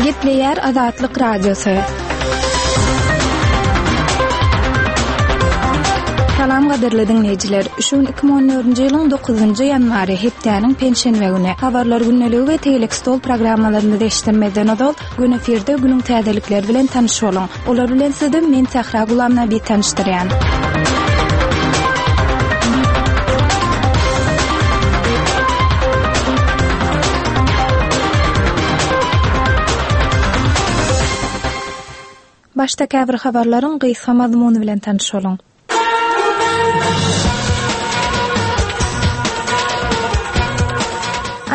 Gepleýär Azatlyk Radiosy. Salam gadyrly diňleýjiler. Şu gün 2014-nji ýylyň 9-njy ýanwary, hepdäniň penşenbe güni. Habarlar gündeligi we tegelek stol programmalarymyzy eşitdirmezden ozal, Gün efirde günüň täzelikleri bilen tanyş boluň. Olar bilen sizi men Sähra Gulamnabi tanyşdyrýan. Başda käbir habarlaryň gysga mazmuny bilen tanyş boluň.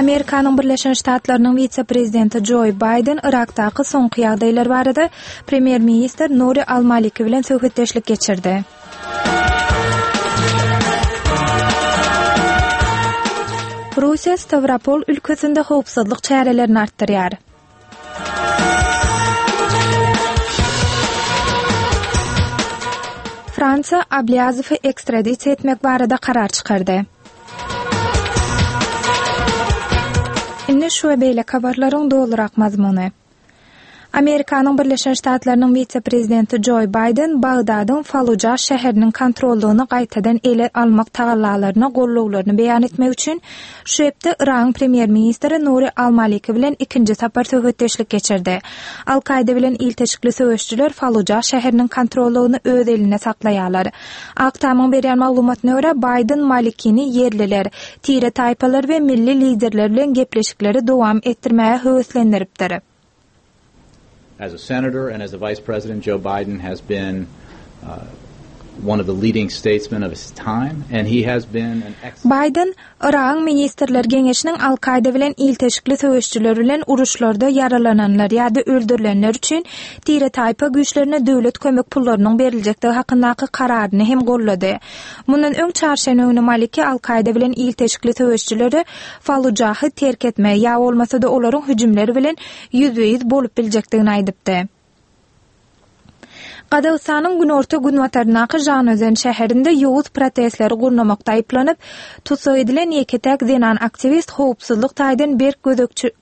Amerikanyň Birleşen Ştatlarynyň wise-prezidenti Joý Baýden Yrakdaky soňky ýagdaýlar barada premýer-ministr Nuri al-Maliki bilen söhbetdeşlik geçirdi. Russiýa Stawropol ülkesinde howpsuzlyk çärelerini artdyrýar. Fransiýa Ablýazowy ekstradisiýa etmek barada karar çykardy. Indi şu we beýleki habarlaryň dolurak mazmuny. Amerikanyň Birleşen Ştatlarynyň wise-prezidenti Joý Baýden Bagdadyň Faluja şäheriniň kontrollygyny gaýtadan ele almak tagallalaryna gollawlaryny beýan etmek üçin Şu hepde Yragyň premýer-ministri Nuri al-Maliki bilen ikinji sapar söhbetdeşlik geçirdi. Al-Kaýda bilen ilteşikli söweşijiler Faluja şäheriniň kontrollygyny öz elinde saklaýarlar. Ak Tamyň berýän maglumatyna görä, Baýden Malikini ýerliler, tire-taýpalar we milli liderler bilen gepleşikleri dowam etdirmäge höweslendiripdir. As a senator and as a vice president, Joe Biden has been uh, one of the leading statesmen of his time, and he has been an excellent... Baýden, Yragyň Ministrler Geňeşiniň Al-Kaýda bilen ilteşikli söweşijiler bilen uruşlarda ýaralananlar ýa-da öldürilenler üçin tire-taýpa güýçlerine döwlet kömek pullarynyň beriljekdigi hakyndaky kararyny hem gollady. Mundan öň çarşenbe güni Maliki Al-Kaýda bilen ilteşikli söweşijilere Fallujahy terk etmegi ýa bolmasa-da olaryň hüjümleri bilen ýüzbe-ýüz bolup biljekdigini aýdypdy. Gazagystanyň günorta-günbataryndaky Žanaözen şäherinde ýowuz protestleri gurnamakda aýyplanyp, tussag edilen ýeke-täk zenan aktiwist howpsuzlyk taýdan berk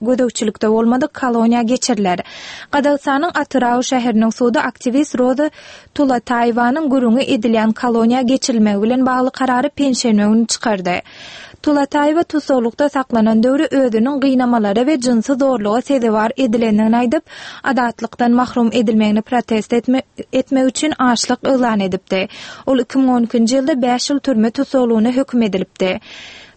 gözegçilikde bolmadyk koloniýa geçiriler. Gazagystanyň Atyrau şäheriniň sudy aktiwist Roza Tulataýewanyň gürrüňi edilýän koloniýa geçirilmegi bilen bagly karary penşenbe güni çykardy. Tulataýewa tussaglykda saklanan döwri özüniň gynamalara we jynsy zorluga sezewar edilendigini aýdyp, azatlykdan mahrum edilmegini protest etmek üçin açlyk yglan edipdi. Ol 2012-nji ýylda bäş ýyl türme tussaglygyna höküm edilipdi.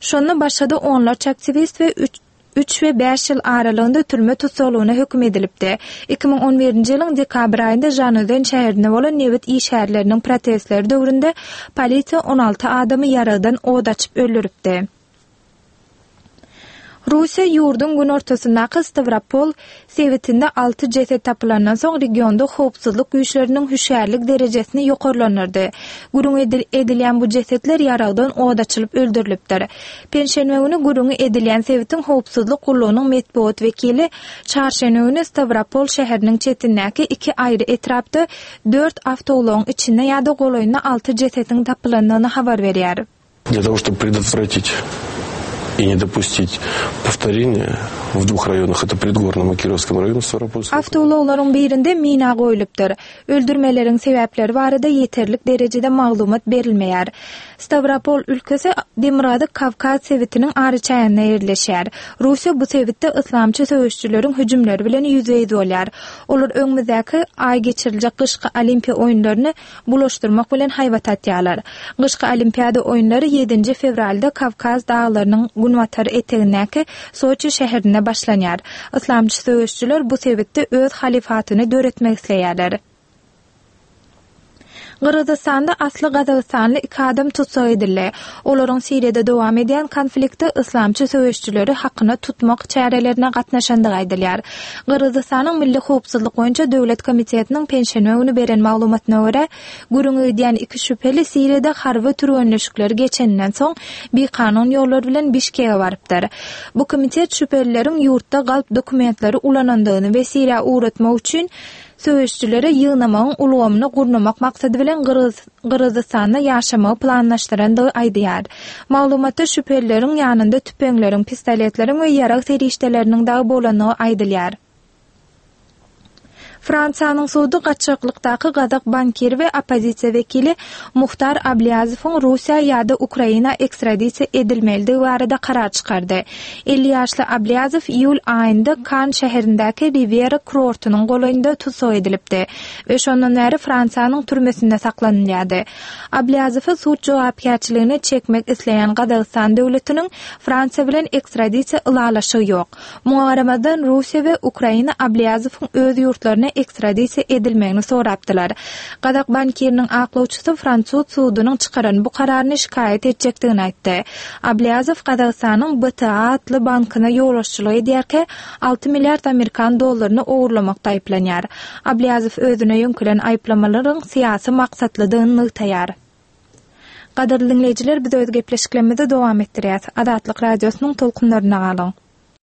Şonda başga-da onlarça aktiwist we üç üç we bäş ýyl aralygynda türme tussaglygyna höküm edilipdi. 2011-nji ýylyň dekabr aýynda Žanaözen şäherinde bolan nebit işgärleriniň protestleri döwründe polisiýa 16 adamy ýaragdan od açyp öldüripdi. Russiýa ýurduň günortasyndaky Stawropol sebitinde alty jeset tapylandan soň regionda howpsuzlyk güýçleriniň hüşgärlik derejesini ýokarlandyrdy. Gürrüňi edilýän bu jesetler ýaragdan od açylyp öldürilipdir. Penşenbe güni gürrüňi edilýän sebitiň howpsuzlyk gullugynyň metbugat wekili çarşenbe güni Stawropol şäheriniň çetindäki iki aýry etrapda dört awtoulagyň içinde ýa-da golaýynda alty jesetiň tapylandygyny habar berýär. Для того, чтобы предотвратить и не допустить повторения в двух районах, это Предгорном и Кировском районах Ставропольского. Awtoulaglaryň birinde mina goýlupdyr. Öldürmeleriň sebäpleri barada ýeterlik derejede maglumat berilmeýär. Stawropol ülkesi Demirgazyk Kawkaz sebitiniň araçäginde ýerleşýär. Russiýa bu sebitde yslamçy söweşijileriň hüjümleri bilen ýüzbe-ýüz bolýar. Olar öňümizdäki aý geçiriljek gyşky Olimpiýa oýunlaryny bulaşdyrmak bilen haýbat atýarlar. Gyşky Olimpiada oýunlary ýedinji fewralda Kawkaz daglarynyň günbatar etegindäki Soçi şäherinde başlanýar. Yslamçy söweşijiler bu sebitde öz halyfatyny döretmek isleýärler. Gyrgyzystanda asly gazagystanly iki adam tussag edildi. Olaryň Siriýada dowam edýän konfliktde yslamçy söweşijileri hakyna tutmak çärelerine gatnaşandygy aýdylýar. Gyrgyzystanyň Milli howpsuzlyk boýunça döwlet komitetiniň penşenbe güni beren maglumatyna görä, gürrüňi gidýän iki şübheli Siriýada harby türgenleşikleri geçeninden soň, bikanun ýollar bilen Bişkege barypdyr. Bu komitet şübhelileriň ýurtda galp dokumentleri ulanandygyny we Siriýa ugratmak üçin söweşijileri ýygnamagyň ulgamyny gurnamak maksady bilen Gyrgyzystanda ýaşamagy planlaşdyrandygy aýdýar. Maglumatda şübhelileriň ýanynda tüpeňleriň, pistoletleriň we ýarag serişdeleriniň dagy bolandygy aýdylýar. Fransiýanyň sudy gaçaklykdaky gazak bankiri we oppozisiýa wekili Muhtar Ablýazowyň Russiýa ýa-da Ukraina ekstradisiýa edilmelidigi barada karar çykardy. 50 ýaşly Ablýazow iýul aýynda Kann şäherindäki Riwýera kurortynyň golaýynda tussag edilipdi we şondan bäri Fransiýanyň türmesinde saklanylýardy. Ablýazowy sud jogapkärçiligine çekmek isleýän Gazagystan döwletiniň Fransiýa bilen ekstradisiýa ylalaşygy ýok. Muňa garamazdan, Russiýa we Ukraina Ablýazowyň öz ýurtlaryna ekstradisiýa edilmegini sorapdylar. Gazak bankiriniň aklawçysy fransuz sudunyň çykaran bu kararyny şikaýat etjekdigini aýtdy. Ablýazow Gazagystanyň BTA atly bankyna ýolbaşçylyk edýärkä, 6 milliard amerikan dollaryny ogurlamakda aýyplanýar. Ablýazow özüne ýöňkelen aýyplamalaryň syýasy maksatlydygyny nygtaýar. Gadyrly diňleýjiler, biz öz gepleşiklerimizi dowam etdirýäs. Azatlyk Radiosynyň tolkunlarynda galyň.